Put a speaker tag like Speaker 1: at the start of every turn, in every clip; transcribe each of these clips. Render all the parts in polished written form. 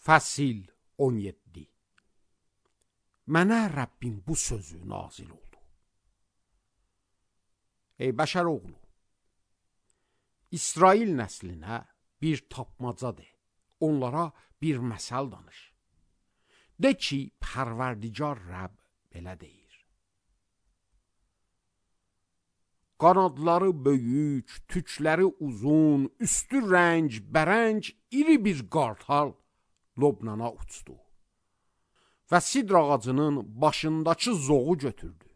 Speaker 1: Fəsil 17. Mənə Rəbbin bu sözü nazil oldu. Ey bəşər oğlu, İsrail nəslinə bir tapmaca de, onlara bir məsəl danış. De ki, Pərverdigar Rəbb belə deyir. Qanadları böyük, tükləri uzun, üstü rəng, bərəng, iri bir qartal Lobnana uçdu və sidr ağacının başındakı zoğu götürdü.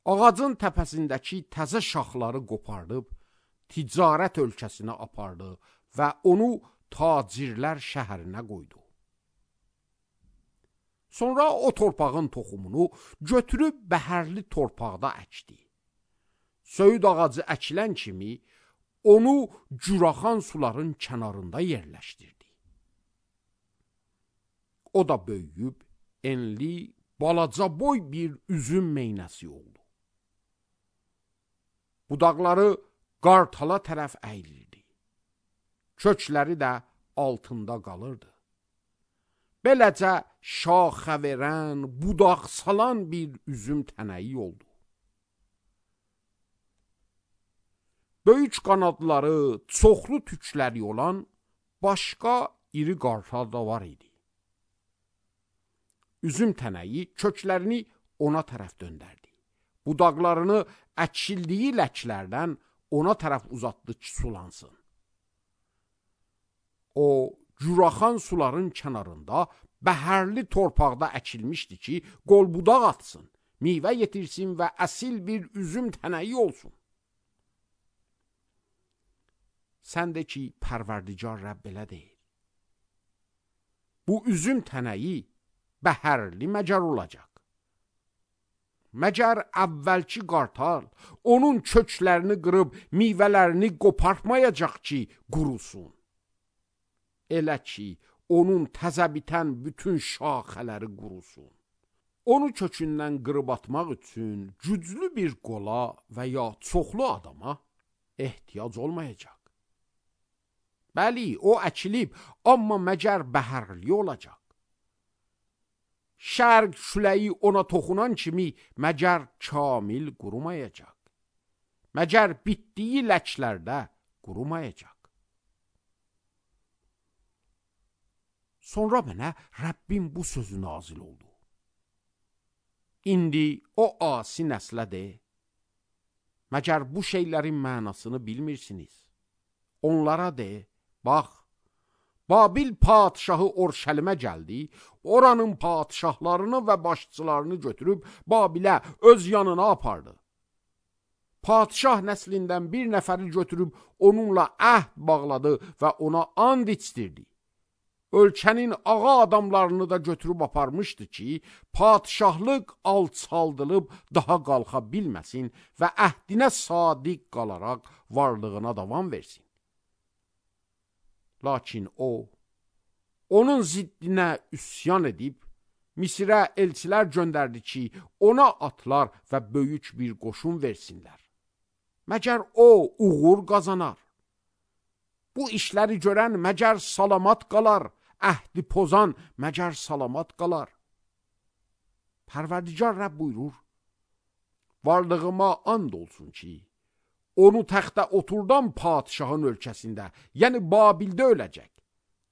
Speaker 1: Ağacın təpəsindəki təzə şaxları qopardıb, ticarət ölkəsinə apardı və onu tacirlər şəhərinə qoydu. Sonra o torpağın toxumunu götürüb bəhərli torpaqda əkdi. Söyüd ağacı əkilən kimi onu curaxan suların kənarında yerləşdirdi. O da böyüyüb, enli, balaca boy bir üzüm meynəsi oldu. Budaqları qartala tərəf əyilirdi. Kökləri də altında qalırdı. Beləcə şaxə verən, budaq salan bir üzüm tənəyi oldu. Böyük qanadları, çoxlu tükləri olan başqa iri qartal da var idi. Üzüm tənəyi köklərini ona tərəf döndərdi. Budaqlarını əkildiyi ləklərdən ona tərəf uzatdı ki, sulansın. O, curaxan suların kənarında bəhərli torpaqda əkilmişdi ki, qol budaq atsın, meyvə yetirsin və əsil bir üzüm tənəyi olsun. Sən de ki, Pərverdigar Rəbb belə deyir. Bu üzüm tənəyi bəhərli məcər olacaq. Məcər əvvəlki qartal onun köklərini qırıb meyvələrini qopartmayacaq ki, qurusun. Elə ki, onun təzə bitən bütün şaxələri qurusun. Onu kökündən qırıb atmaq üçün güclü bir qola və ya çoxlu adama ehtiyac olmayacaq. Bəli, o əkilib, amma məcər bəhərli olacaq. Şərq küləyi ona toxunan kimi məcər kamil qurumayacaq. Məcər bitdiyi ləklərdə qurumayacaq. Sonra mənə Rəbbin bu sözü nazil oldu. İndi o asi nəslə de, məcər bu şeylərin mənasını bilmirsiniz. Onlara de, bax, Babil padişahı Orşəlimə gəldi, oranın padişahlarını və başçılarını götürüb Babilə öz yanına apardı. Padişah nəslindən bir nəfəri götürüb onunla əhd bağladı və ona and içdirdi. Ölkənin ağa adamlarını da götürüb aparmışdı ki, padişahlıq alçaldılıb daha qalxa bilməsin və əhdinə sadiq qalaraq varlığına davam versin. Lakin o, onun ziddinə üsyan edib, Misirə elçilər göndərdi ki, ona atlar və böyük bir qoşun versinlər. Məcər o uğur qazanar. Bu işləri görən məcər salamat qalar, əhdi pozan məcər salamat qalar. Pərverdigar Rəbb buyurur, varlığıma and olsun ki, onu təxtə oturdan padişahın ölkəsində, yəni Babildə öləcək.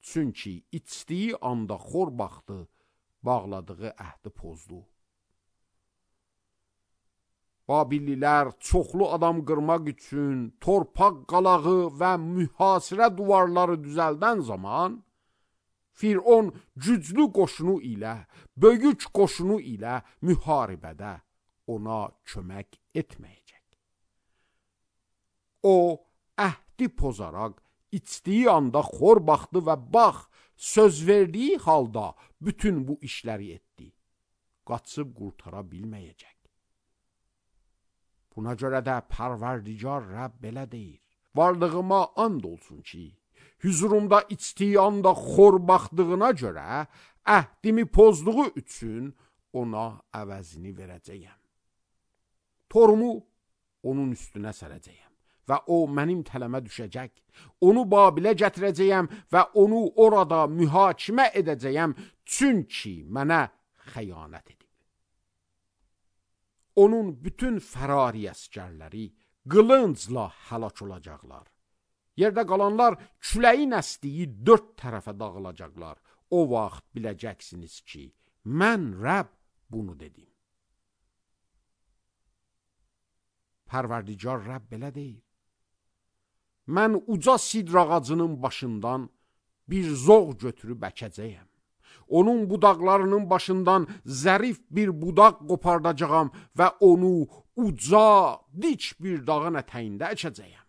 Speaker 1: Çünki içdiyi anda xor baxdı, bağladığı əhdi pozdu. Babililər çoxlu adam qırmaq üçün torpaq qalağı və mühasirə duvarları düzəldən zaman, Firon güclü qoşunu ilə, böyük qoşunu ilə müharibədə ona kömək etməyəcək. O, əhdi pozaraq, içdiyi anda xor baxdı və bax, söz verdiyi halda bütün bu işləri etdi. Qaçıb qurtara bilməyəcək. Buna görə də Pərverdigar Rəbb belə deyir. Varlığıma and olsun ki, hüzurumda içdiyi anda xor baxdığına görə, əhdimi pozduğu üçün ona əvəzini verəcəyəm. Torumu onun üstünə sərəcəyəm və o mənim tələmə düşəcək. Onu Babilə gətirəcəyəm və onu orada mühakimə edəcəyəm, çünki mənə xəyanət edib. Onun bütün fərari əsgərləri qılıncla həlak olacaqlar. Yerdə qalanlar küləyin əsdiyi 4 tərəfə dağılacaqlar. O vaxt biləcəksiniz ki, mən Rəbb bunu dedim. Pərverdigar Rəbb belə deyir. Mən uca sidr ağacının başından bir zoğ götürüb əkəcəyəm. Onun budaqlarının başından zərif bir budaq qopardacağam və onu uca, dik bir dağın ətəyində əkəcəyəm.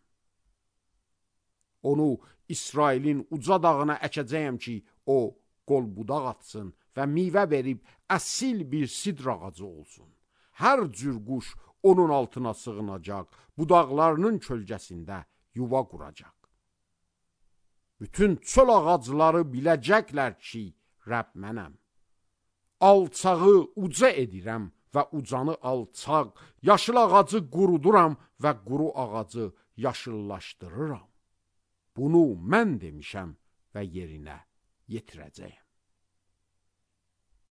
Speaker 1: Onu İsrailin uca dağına əkəcəyəm ki, o qol budaq atsın və meyvə verib əsil bir sidr ağacı olsun. Hər cür quş onun altına sığınacaq, budaqlarının kölgəsində yuva quracaq. Bütün çöl ağacları biləcəklər ki, Rəbb mənəm. Alçağı uca edirəm və ucanı alçaq, yaşıl ağacı quruduram və quru ağacı yaşıllaşdırıram. Bunu mən demişəm və yerinə yetirəcəyəm.